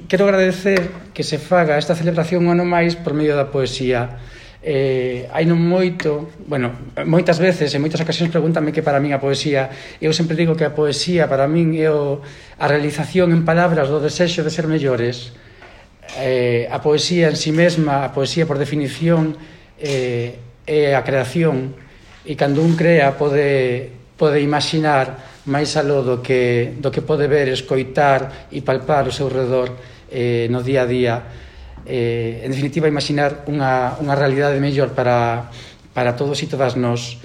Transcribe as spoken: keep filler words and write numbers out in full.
quero agradecer que se faga esta celebración un ano máis por medio da poesía. Eh, hai non moito, bueno, moitas veces, en moitas ocasións pregúntame que para min a poesía. Eu sempre digo que a poesía para min é o, a realización en palabras do desexo de ser mellores. Eh, a poesía en si mesma, a poesía por definición, eh, é a creación, e cando un crea pode, pode imaginar máis aló do que, do que pode ver, escoitar e palpar o seu redor eh, no día a día. Eh, en definitiva, imaginar unha, unha realidade mellor para, para todos e todas nós.